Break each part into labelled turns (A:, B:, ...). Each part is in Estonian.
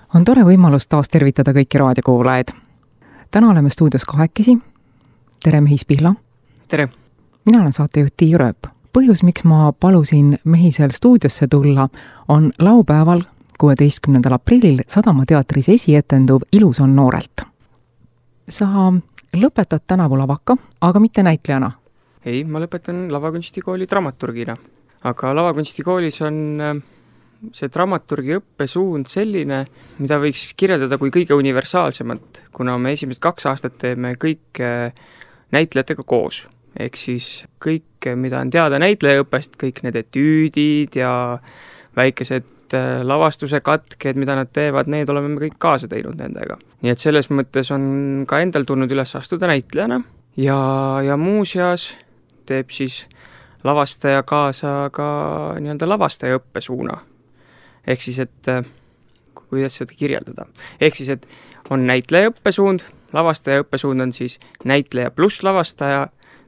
A: On tore võimalus taas tervitada kõiki raadiokuulajaid. Täna oleme stuudios kahekesi. Tere, Mehis Pihla.
B: Tere.
A: Mina olen saatejuht Tiia Rööp. Põhjus, miks ma palusin Mehisel stuudiosse tulla, on laupäeval 16. aprillil Sadama teatris esietenduv Ilus on noorelt. Sa lõpetad tänavu lavaka, aga mitte näitlejana.
B: Ei, ma lõpetan lavakunstikooli dramaturgina. Aga lavakunstikoolis on see dramaturgi õppesuund selline, mida võiks kirjeldada kui kõige universaalsemat, kuna me esimesed 2 aastat teeme kõik näitlejatega koos. Ehk siis kõik, mida on teada näitlejaõppest, kõik need etüüdid ja väikesed lavastuse katked, mida nad teevad, need oleme me kõik kaasa teinud nendega. Nii et selles mõttes on ka endal tulnud üles astuda näitlejana ja muuseas teeb siis lavastaja kaasa ka nii-öelda lavastaja õppesuuna. Ehk siis, et kuidas seda kirjeldada. Ehk siis, et on näitleja õppesuund, lavastaja õppesuund on siis näitleja pluss lavastaja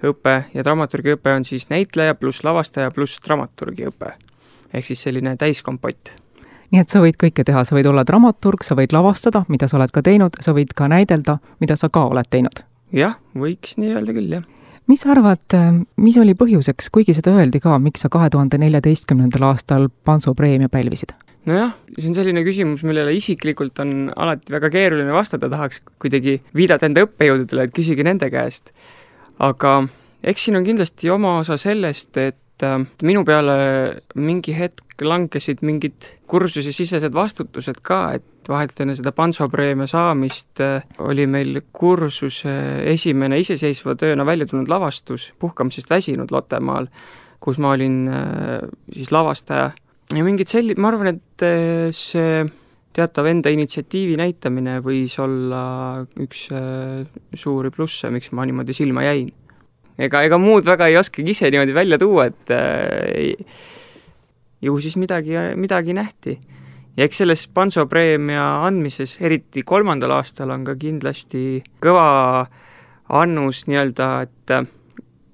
B: õpe ja dramaturgi õpe on siis näitleja pluss lavastaja pluss dramaturgi õpe. Ehk siis selline täiskompott.
A: Nii et sa võid kõike teha, sa võid olla dramaturg, sa võid lavastada, mida sa oled ka teinud, sa võid ka näidelda, mida sa ka oled teinud.
B: Jah, võiks nii öelda küll, jah.
A: Mis arvad, mis oli põhjuseks, kuigi seda öeldi ka, miks sa 2014. aastal Panso preemia pälvisid?
B: Nojah, see on selline küsimus, millele isiklikult on alati väga keeruline vastata, tahaks kuidagi viidata enda õppejõududele, et küsige nende käest. Aga eks siin on kindlasti oma osa sellest, et minu peale mingi hetk langesid mingid kursuse sisesed vastutused ka, et vahelt enne seda Panso preemia saamist oli meil kursuse esimene iseseisva tööna välja tulnud lavastus Puhkamisest väsinud Lottemaal, kus ma olin siis lavastaja. Ja mingid ma arvan, et see teatav enda initsiatiivi näitamine võis olla üks suuri plusse, miks ma niimoodi silma jäin. Ega muud väga ei oskagi ise niimoodi välja tuua, et ju siis midagi nähti. Ja eks selles Panso preemia andmises, eriti 3. aastal, on ka kindlasti kõva annus nii-öelda, et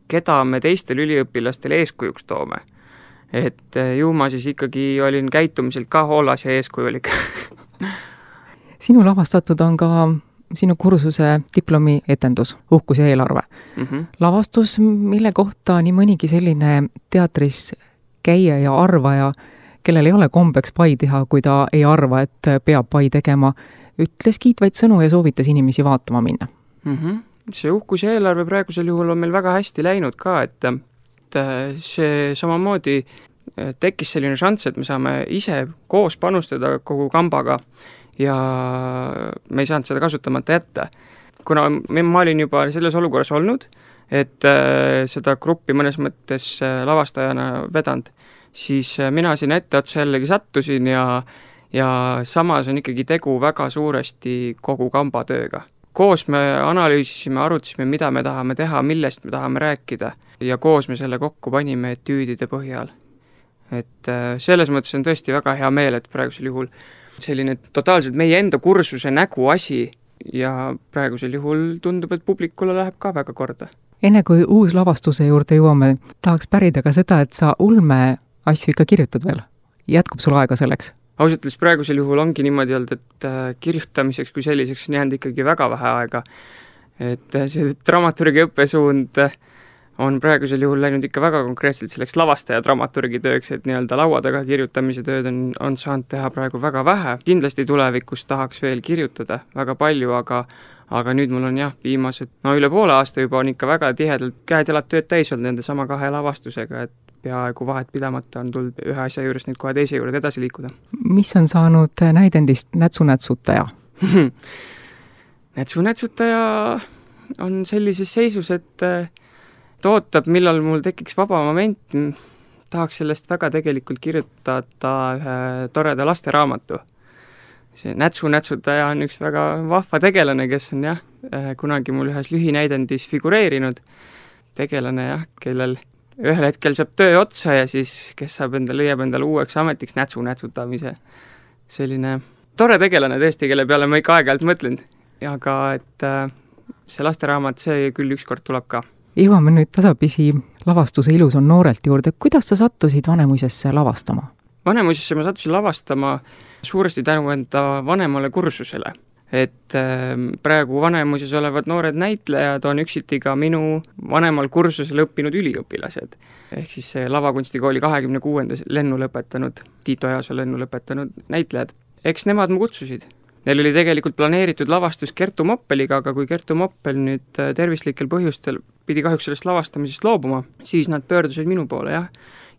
B: keda me teistel üliõpilastele eeskujuks toome. Et ju ma siis ikkagi olin käitumiselt ka hoolas ja eeskujulik.
A: Sinu lavastatud on ka sinu kursuse diplomi etendus, Uhkus ja eelarve. Lavastus, mille kohta nii mõnigi selline teatris käija ja arvaja, kellel ei ole kombeks pai teha, kui ta ei arva, et peab pai tegema, ütles kiitvaid sõnu ja soovitas inimesi vaatama minna.
B: See Uhkus ja eelarve praegusel juhul on meil väga hästi läinud ka, et see samamoodi tekkis selline šanss, et me saame ise koos panustada kogu kambaga ja me ei saanud seda kasutamata jätta. Kuna ma olin juba selles olukorras olnud, et seda gruppi mõnes mõttes lavastajana vedanud, siis mina siin etteotsa jällegi sattusin ja samas on ikkagi tegu väga suuresti kogu kamba tööga. Koos me analüüsisime, arutasime, mida me tahame teha, millest me tahame rääkida ja koos me selle kokku panime etüüdide põhjal. Et selles mõttes on tõesti väga hea meel, et praegusel juhul selline totaalselt meie enda kursuse nägu asi ja praegusel juhul tundub, et publikule läheb ka väga korda.
A: Enne kui uus lavastuse juurde jõuame, tahaks pärida ka seda, et sa ulme asju ikka kirjutad veel. Jätkub sul aega selleks?
B: Ausalt öeldes praegusel juhul ongi niimoodi olnud, et kirjutamiseks kui selliseks on jäänud ikkagi väga vähe aega. Et see dramaturgi õppesuund on praegusel juhul läinud ikka väga konkreetselt selleks lavastaja dramaturgi tööks, et nii-öelda laua taga kirjutamise tööd on saanud teha praegu väga vähe. Kindlasti tulevikus tahaks veel kirjutada väga palju, aga nüüd mul on viimased, üle poole aasta juba on ikka väga tihedalt käed-jalad tööd täis olnud nende sama 2 lavastusega, et peaaegu vahet pidamata on tulnud ühe asja juures nüüd kohe teise juurde edasi liikuda.
A: Mis on saanud näidendist Nätsu-nätsutaja?
B: Nätsu-nätsutaja on sellises seisus, et ootab, millal mul tekiks vaba moment. Tahaks sellest väga tegelikult kirjutada ühe toreda lasteraamatu. See Nätsu-nätsutaja on üks väga vahva tegelane, kes on kunagi mul ühes lühinäidendis figureerinud. Tegelane, kellel ühel hetkel saab töö otsa ja siis kes leiab endale uueks ametiks nätsu-nätsutamise. Selline tore tegelane tõesti, kelle peale ma ikka aeg-ajalt mõtlen. Aga et see lasteraamat, see küll ükskord tuleb ka.
A: Jõuame nüüd tasapisi lavastuse Ilus on noorelt juurde. Kuidas sa sattusid Vanemuisesse lavastama?
B: Vanemuisesse ma sattusin lavastama suuresti tänu enda vanemale kursusele. Et praegu Vanemuises olevad noored näitlejad on üksiti ka minu vanemal kursusel õppinud üliõpilased. Ehk siis lavakunstikooli 26. lennu lõpetanud, Tiito Easoo lennu lõpetanud näitlejad. Eks nemad mu kutsusid. Neil oli tegelikult planeeritud lavastus Kertu Moppeliga, aga kui Kertu Moppel nüüd tervislikel põhjustel pidi kahjuks sellest lavastamisest loobuma, siis nad pöördusid minu poole, jah.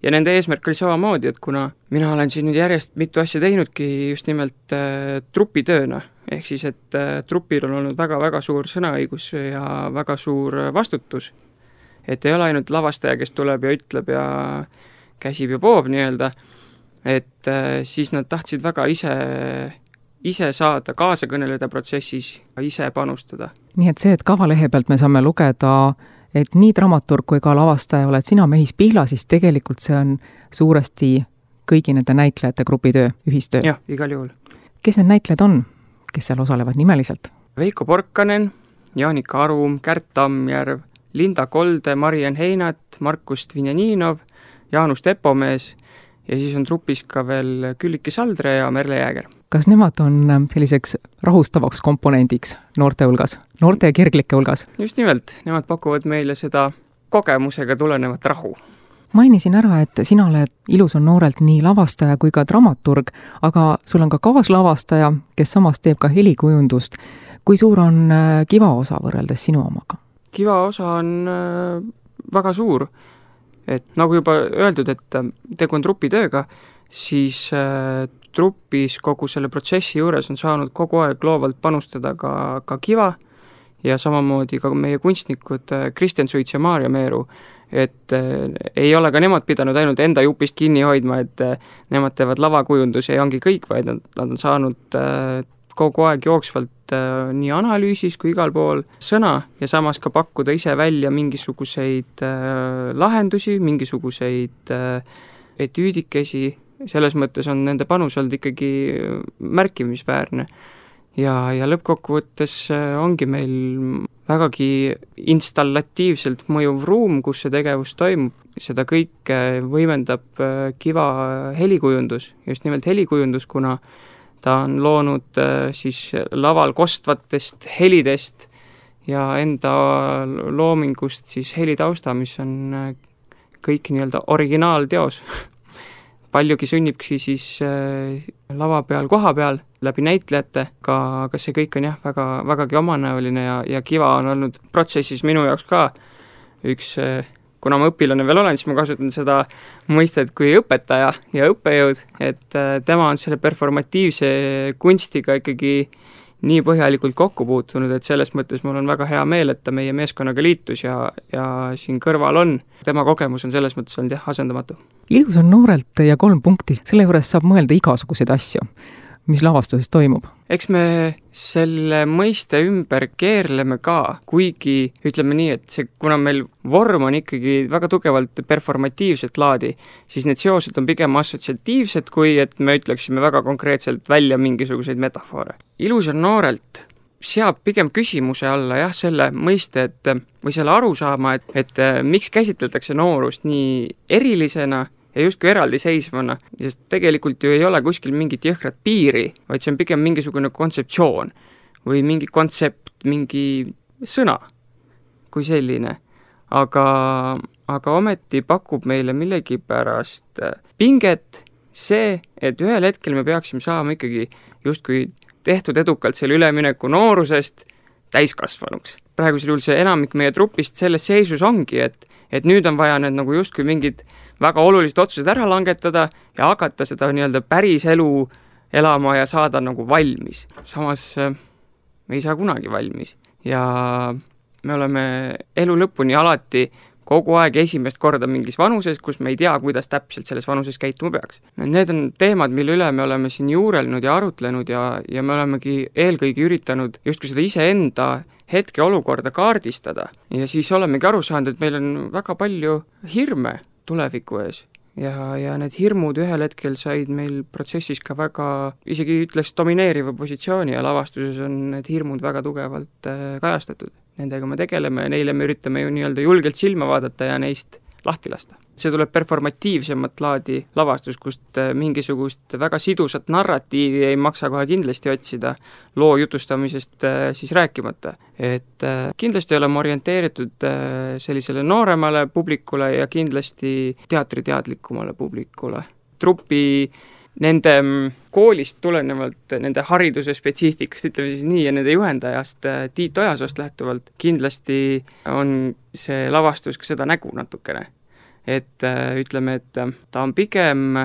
B: Ja nende eesmärk oli samamoodi, et kuna mina olen siin nüüd järjest mitu asja teinudki just nimelt trupitööna, ehk siis, et trupil on olnud väga-väga suur sõnaõigus ja väga suur vastutus, et ei ole ainult lavastaja, kes tuleb ja ütleb ja käsib ja poob nii-öelda, et siis nad tahtsid väga ise saada kaasa kõneleda protsessis ja ise panustada.
A: Nii et see, et kavalehe pealt me saame lugeda, et nii dramaturg kui ka lavastaja oled sina Mehis Pihla, siis tegelikult see on suuresti kõigi nende näitlejate grupitöö, ühistöö.
B: Jah, igal juhul.
A: Kes need näitlejad on, kes seal osalevad nimeliselt?
B: Veiko Porkanen, Jaanika Arum, Kärt Tammjärv, Linda Kolde, Mariann Heinat, Markus Dvinjaninov, Jaanus Tepomees ja siis on trupis ka veel Külliki Saldre ja Merle Jääger.
A: Kas nemad on selliseks rahustavaks komponendiks noorte hulgas, noorte ja kirglike hulgas?
B: Just nimelt, nemad pakuvad meile seda kogemusega tulenevat rahu.
A: Mainisin ära, et sina oled Ilus on noorelt nii lavastaja kui ka dramaturg, aga sul on ka kaaslavastaja, kes samas teeb ka helikujundust. Kui suur on Kiva osa võrreldes sinu omaga?
B: Kiva osa on väga suur. Et nagu juba öeldud, et tegu on trupitööga, siis trupis kogu selle protsessi juures on saanud kogu aeg loovalt panustada ka Kiva ja samamoodi ka meie kunstnikud Kristjan Suits ja Maarja Meeru, et ei ole ka nemad pidanud ainult enda jupist kinni hoidma, et nemad teevad lavakujunduse ja ongi kõik, vaid nad on saanud kogu aeg jooksvalt nii analüüsis kui igal pool sõna ja samas ka pakkuda ise välja mingisuguseid lahendusi, mingisuguseid etüüdikesi, selles mõttes on nende panus olnud ikkagi märkimisväärne. Ja lõppkokkuvõttes ongi meil vägagi installatiivselt mõjuv ruum, kus see tegevus toimub. Seda kõike võimendab Kiva helikujundus, just nimelt helikujundus, kuna ta on loonud siis laval kostvatest helidest ja enda loomingust siis helitausta, mis on kõik nii-öelda originaalteos. Paljugi sünnibki siis lava peal, koha peal, läbi näitlejate, aga see kõik on jah, vägagi omanäoline ja Kiva on olnud protsessis minu jaoks ka üks, kuna ma õpilane veel olen, siis ma kasutan seda mõistet kui õpetaja ja õppejõud, et tema on selle performatiivse kunstiga ikkagi nii põhjalikult kokku puutunud, et selles mõttes mul on väga hea meel, et ta meie meeskonnaga liitus ja siin kõrval on. Tema kogemus on selles mõttes olnud jah, asendamatu.
A: Ilus on noorelt ja 3 punkti, selle juures saab mõelda igasuguseid asju, mis lavastuses toimub. Eks
B: me selle mõiste ümber keerleme ka, kuigi ütleme nii, et see, kuna meil vorm on ikkagi väga tugevalt performatiivset laadi, siis need seosed on pigem assotsiatiivsed, kui et me ütleksime väga konkreetselt välja mingisuguseid metafoore. Ilus on noorelt seab pigem küsimuse alla jah, selle mõiste, või selle arusaama, et miks käsitletakse noorust nii erilisena ja justkui eraldiseisvana, sest tegelikult ju ei ole kuskil mingit jõhkrat piiri, vaid see on pigem mingisugune kontseptsioon või mingi kontsept, mingi sõna kui selline. Aga ometi pakub meile millegipärast pinget see, et ühel hetkel me peaksime saama ikkagi justkui tehtud edukalt selle ülemineku noorusest täiskasvanuks. Praegusel juhul see enamik meie trupist selles seisus ongi, et nüüd on vaja need nagu justkui mingid väga olulised otsused ära langetada ja hakata seda nii-öelda päris elu elama ja saada nagu valmis. Samas me ei saa kunagi valmis ja me oleme elu lõpuni alati kogu aeg esimest korda mingis vanuses, kus me ei tea, kuidas täpselt selles vanuses käituma peaks. Need on teemad, mille üle me oleme siin juurelnud ja arutlenud ja me olemegi eelkõige üritanud justkui seda iseenda hetke olukorda kaardistada ja siis olemegi aru saanud, et meil on väga palju hirme tuleviku ees ja need hirmud ühel hetkel said meil protsessis ka väga, isegi ütleks domineeriva positsiooni ja lavastuses on need hirmud väga tugevalt kajastatud. Nendega me tegeleme ja neile me üritame ju nii-öelda julgelt silma vaadata ja neist lahti lasta. See tuleb performatiivsemat laadi lavastus, kust mingisugust väga sidusat narratiivi ei maksa kohe kindlasti otsida, loo jutustamisest siis rääkimata. Et kindlasti oleme orienteeritud sellisele nooremale publikule ja kindlasti teatriteadlikumale publikule. Trupi nende koolist tulenevalt, nende hariduse spetsiifikast, ütleme siis nii, ja nende juhendajast Tiit Ojasoost lähtuvalt, kindlasti on see lavastus ka seda nägu natukene. Et ütleme, et ta on pigem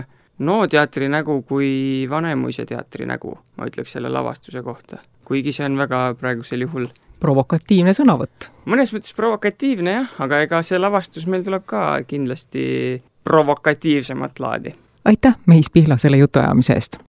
B: teatri nägu kui Vanemuise teatri nägu, ma ütleks selle lavastuse kohta. Kuigi see on väga praegusel juhul
A: provokatiivne sõnavõtt.
B: Mõnes mõttes provokatiivne jah, aga ega see lavastus meil tuleb ka kindlasti provokatiivsemat laadi.
A: Aitäh, Meis Pihla, selle jutuajamise eest!